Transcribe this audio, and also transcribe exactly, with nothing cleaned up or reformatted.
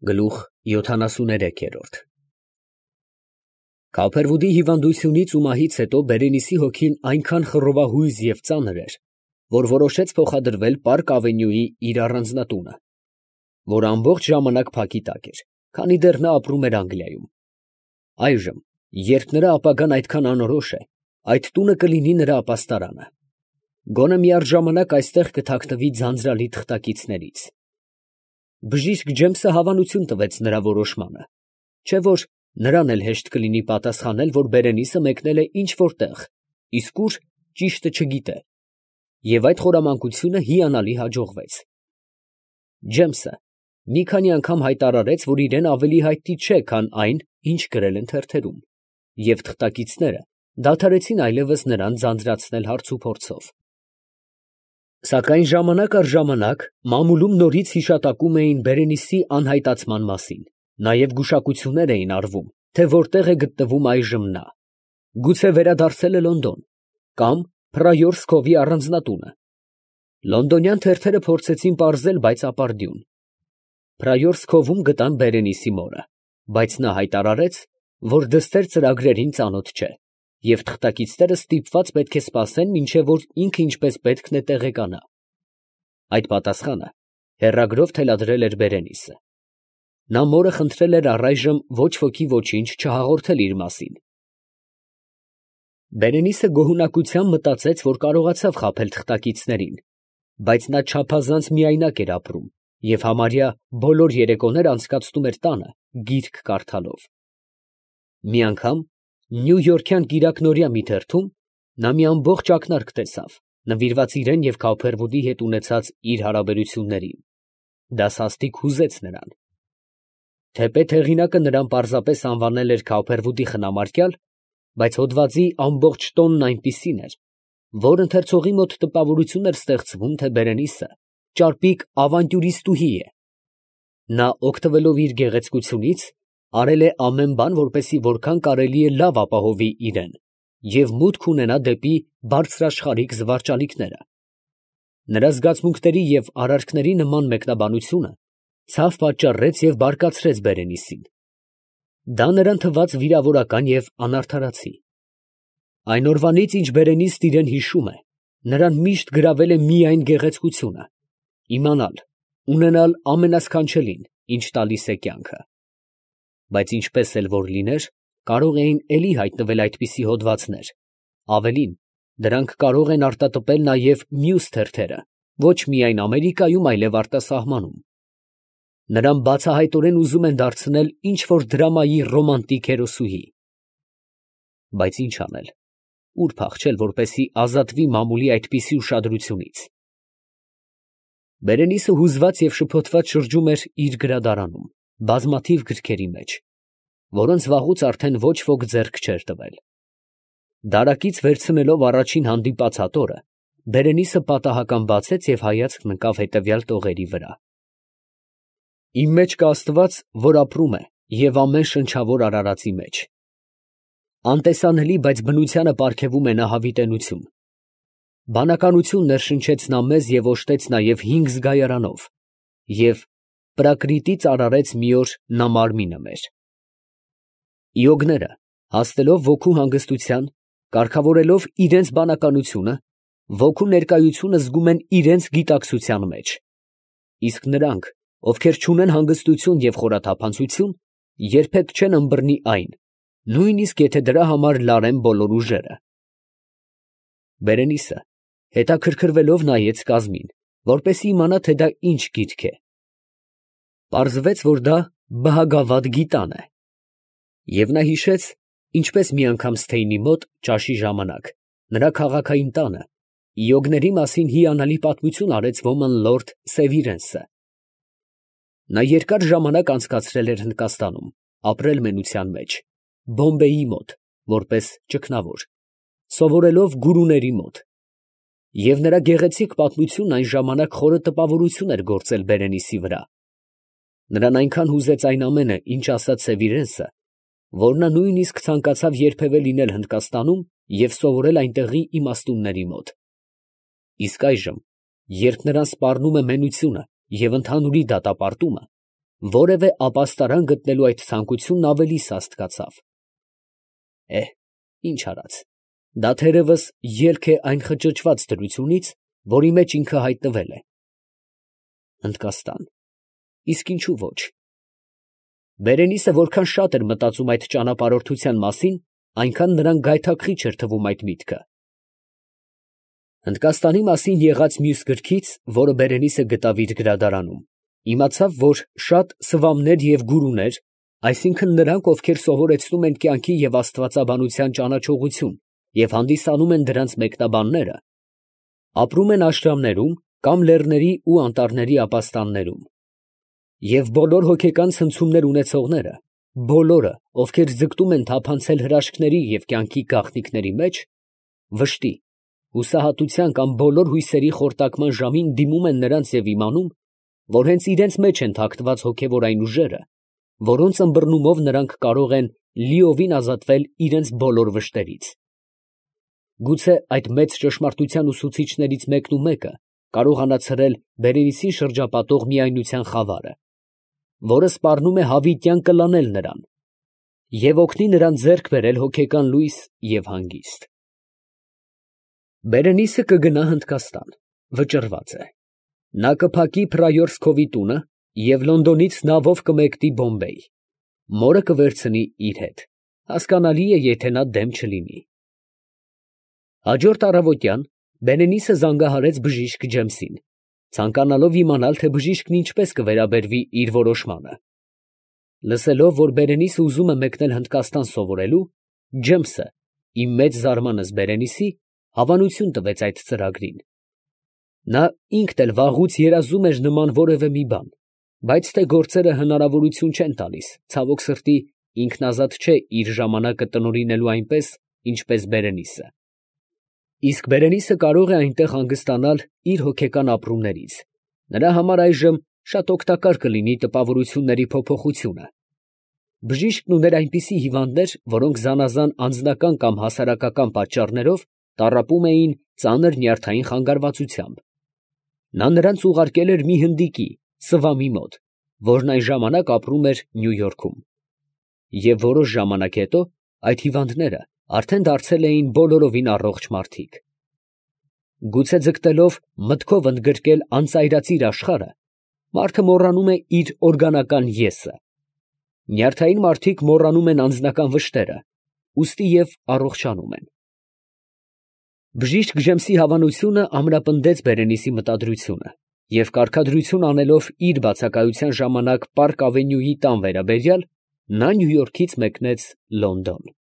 Գլուխ յոթանասուներեքերորդ Քափերվուդի հիվանդությունից ու մահից հետո Բերենիսի հոգին այնքան խռովահույզ և ծանր էր, որ որոշեց փոխադրվել Պարկ Ավենյուի իր առանձնատունը, որ ամբողջ ժամանակ փակի տակ էր, քանի դեռ նա ապրում էր Անգլիայում. այժմ, երբ նրա ապագան այդքան անորոշ է, այդ տունը կլինի նրա ապաստարանը, գոնե միառժամանակ այստեղ կթաքնվի ձանձրալի թղթակիցներից։ Բժիշկ Ջեյմսը հավանություն տվեց նրա որոշմանը, չէ՞ որ նրան էլ հեշտ կլինի պատասխանել, որ Բերենիսը մեկնել է ինչ֊որ տեղ, իսկ ուր, ճիշտը չգիտե, և այդ խորամանկությունը հիանալի հաջողվեց։ Ջեյմսը մի քանի անգամ հայտարարեց, որ իրեն ավելի հայտնի չէ, քան այն, ինչ գրել են թերթերում, և թղթակիցները դադարեցին այլևս նրան ձանձրացնել հարցուփորձով։ Սակայն ժամանակ առ ժամանակ մամուլում նորից հիշատակում էին Բերենիսի անհայտացման մասին, նաև գուշակություններ էին արվում, թե որտեղ է գտնվում այժմ նա, գուցե վերադարձել է Լոնդոն, կամ Փրայորսկովի առանձնատունը։ Լոնդոնյան թերթերը փորձեցին պարզել, բայց ապարդյուն։ Փրայորսկովում գտան Բերենիսի մորը, բայց նա հայտարարեց, որ դստեր ծրագրերին ծանոթ չէ, և թղթակիցները ստիպված պետք է սպասեն, մինչև որ ինքը ինչպես պետք է տեղեկանա։ Այդ պատասխանը հեռագրով թելադրել էր Բերենիսը։ Նա մորը խնդրել էր առայժմ ոչ ոքի ոչինչ չհաղորդել իր մասին։ Բերենիսը գոհունակությամբ մտածեց, որ կարողացավ խաբել թղթակիցներին, բայց նա չափազանց միայնակ էր ապրում և համարյա բոլոր երեկոներ անցկացնում էր տանը գիրք կարդալով։ Մի անգամ նյույորքյան կիրակնօրյա մի թերթում նա մի ամբողջ ակնարկ տեսավ, նվիրված իրան և Քափերվուդի հետ ունեցած իր հարաբերություններին։ Դա սաստիկ հուզեց նրան։ Թեպետ հեղինակը նրան պարզապես անվանել էր Քափերվուդի խնամարկյալ, բայց հոդվածի ամբողջ տոնն այնպիսին էր, որ ընթերցողի մոտ տպավորություն էր ստեղծվում, թե Բերենիսը ճարպիկ ավանտյուրիստուհի է։ Նա, օգտվելով իր գեղեցկությունից, արել է ամեն բան, որպեսզի որքան կարելի է լավ ապահովի իրան և մուտք ունենա դեպի բարձրաշխարհիկ զվարճալիքները։ Նրա զգացմունքների և արարքների նման մեկնաբանությունը ցավ պատճառեց և բարկացրեց Բերենիսին։ Դա նրան թվաց վիրավորական և անարդարացի։ Այն օրվանից, ինչ Բերենիսն իրան հիշում է, նրան միշտ գրավել է միայն գեղեցկությունը, իմանալ, ունենալ ամենասքանչելին, ինչ տալիս է կյանքը։ Բայց ինչպես էլ որ լիներ, կարող էին էլի հայտնվել այդպիսի հոդվածներ, ավելին, դրանք կարող են արտատպել նաև մյուս թերթերը, ոչ միայն Ամերիկայում, այլև արտասահմանում։ Նրան բացահայտորեն ուզում են դարձնել ինչ֊որ դրամայի ռոմանտիկ հերոսուհի։ Բայց ի՞նչ անել, ուր փախչել, որպեսզի ազատվի մամուլի այդպիսի ուշադրությունից։ Բերենիսը հուզված և շփոթված շրջում էր իր գրադարանում, բազմաթիվ գրքերի մեջ, որոնց վաղուց արդեն ոչ ոք ձեռք չէր տվել։ Դարակից վերցնելով առաջին հանդիպած հատորը, Բերենիսը պատահական բացեց և հայացքն ընկավ հետևյալ տողերի վրա. «Իմ մեջ կա Աստված, որ ապրում է և ամեն շնչավոր արարածի մեջ»։ Անտեսանելի, բայց բնությանը պարգևում է նա հավիտենություն։ Բանականություն ներշնչեց նա մեզ և օժտեց նաև հինգ զգայարանով, և Պրակրիտից արարեց մի օր նա մարմինը մեր։ Իոգները, հասնելով ոգու հանգստության, կարգավորելով իրանց բանականությունը, ոգու ներկայությունը զգում են իրանց գիտակցության մեջ, իսկ նրանք, ովքեր չունեն հանգստություն և խորաթափանցություն, երբեք չեն ըմբռնի այն, նույնիսկ եթե դրա համար լարեն բոլոր ուժերը։ Բերենիսը հետաքրքրվելով նայեց կազմին, որպեսզի իմանա, թե դա ինչ գիրք է։ Պարզվեց, որ դա Բհագավադ գիտան է, և նա հիշեց, ինչպես մի անգամ Սթեյնի մոտ, ճաշի ժամանակ, նրա քաղաքային տանը, իոգների մասին հիանալի պատմություն արեց ոմն լորդ Սևիրենսը։ Նա երկար ժամանակ անցկացրել էր Հնդկաստանում, ապրել մենության մեջ, Բոմբեյի մոտ, որպես ճգնավոր, սովորելով գուրուների մոտ, և նրա գեղեցիկ պատմությունն այն ժամանակ խորը տպավորություն էր գործել Բերենիսի վրա։ Նրան այնքան հուզեց այն ամենը, ինչ ասաց Սևիրենսը, որ նա նույնիսկ ցանկացավ երբևէ լինել Հնդկաստանում և սովորել այնտեղի իմաստունների մոտ։ Իսկ այժմ, երբ նրան սպառնում է մենությունը և ընդհանուրի դատապարտումը, որևէ ապաստարան գտնելու այդ ցանկությունն ավելի սաստկացավ։ Է, ինչ արած, դա թերևս ելք է այն խճճված դրությունից, որի մեջ ինքը հայտնվել է։ Հնդկաստան, իսկ ինչու ոչ։ Բերենիսը որքան շատ էր մտածում այդ ճանապարհորդության մասին, այնքան նրան գայթակղիչ էր թվում այդ միտքը։ Հնդկաստանի մասին եղած մյուս գրքից, որը Բերենիսը գտավ իր գրադարանում, իմացավ, որ շատ սվամներ և գուրուներ, այսինքն նրանք, ովքեր սովորեցնում են կյանքի և աստվածաբանության ճանաչողություն և հանդիսանում են դրանց մեկնաբանները, ապրում են աշրամներում կամ լեռների ու անտառների ապաստաններում, և բոլոր հոգեկան ցնցումներ ունեցողները, բոլորը, ովքեր ձգտում են թափանցել հրաշքների և կյանքի գաղտնիքների մեջ, վշտի, հուսահատության կամ բոլոր հույսերի խորտակման ժամին դիմում են նրանց և իմանում, որ հենց իրենց մեջ են թաքնված հոգևոր այն ուժերը, որոնց ըմբռնումով նրանք կարող են լիովին ազատվել իրենց բոլոր վշտերից։ Գուցե այդ մեծ ճշմարտության ուսուցիչներից մեկն ու մեկը կարողանա ցրել Բերենիսին շրջապատող միայնության խավարը, որը սպառնում է հավիտյան կլանել նրան և օգնի նրան ձեռք բերել հոգեկան լույս և հանգիստ։ Բերենիսը կգնա Հնդկաստան, վճռված է։ Նա կփակի Փրայորսկովի տունը և Լոնդոնից նավով կմեկնի Բոմբեյ, մորը կվերցնի իր հետ, հասկանալի է, եթե նա դեմ չլինի։ Հաջորդ առավոտյան Բերենիսը զանգահարեց բժիշկ Ջեմսին, ցանկանալով իմանալ, թե բժիշկն ինչպես կվերաբերվի իր որոշմանը։ Լսելով, որ Բերենիսը ուզում է մեկնել Հնդկաստան սովորելու, Ջեմսը, ի մեծ զարմանս Բերենիսի, հավանություն տվեց այդ ծրագրին։ Նա ինքն էլ վաղուց երազում էր նման որևէ մի բան, բայց թե գործերը հնարավորություն չեն տալիս, ցավոք սրտի, ինքն ազատ չէ իր ժամանակը տնօրինելու այնպես, ինչպես Բերենիսը։ Իսկ Բերենիսը կարող է այնտեղ հանգստանալ իր հոգեկան ապրումներից, նրա համար այժմ շատ օգտակար կլինի տպավորությունների փոփոխությունը։ Բժիշկն ուներ այնպիսի հիվանդներ, որոնք զանազան անձնական կամ հասարակական պատճառներով տառապում էին ծանր նյարդային խանգարվածությամբ։ Նա նրանց ուղարկել էր մի հնդիկի, Սվամի մոտ, որն այն ժամանակ ապրում էր Նյու Յորքում։ Եվ որոշ ժամանակ հետո այդ հիվանդները արդեն դարձել էին բոլորովին առողջ մարդիկ։ Գուցե ձգտելով մտքով ընդգրկել անծայրածիր աշխարհը, մարդը մոռանում է իր օրգանական եսը։ Նյարդային մարդիկ մոռանում են անձնական վշտերը, ուստի և առողջանում են։ Բժիշկ Ջեմսի հավանությունը ամրապնդեց Բերենիսի մտադրությունը, և կարգադրություն անելով իր բացակայության ժամանակ Պարկ Ավենյուի տան վերաբերյալ, նա Նյու Յորքից մեկնեց Լոնդոն։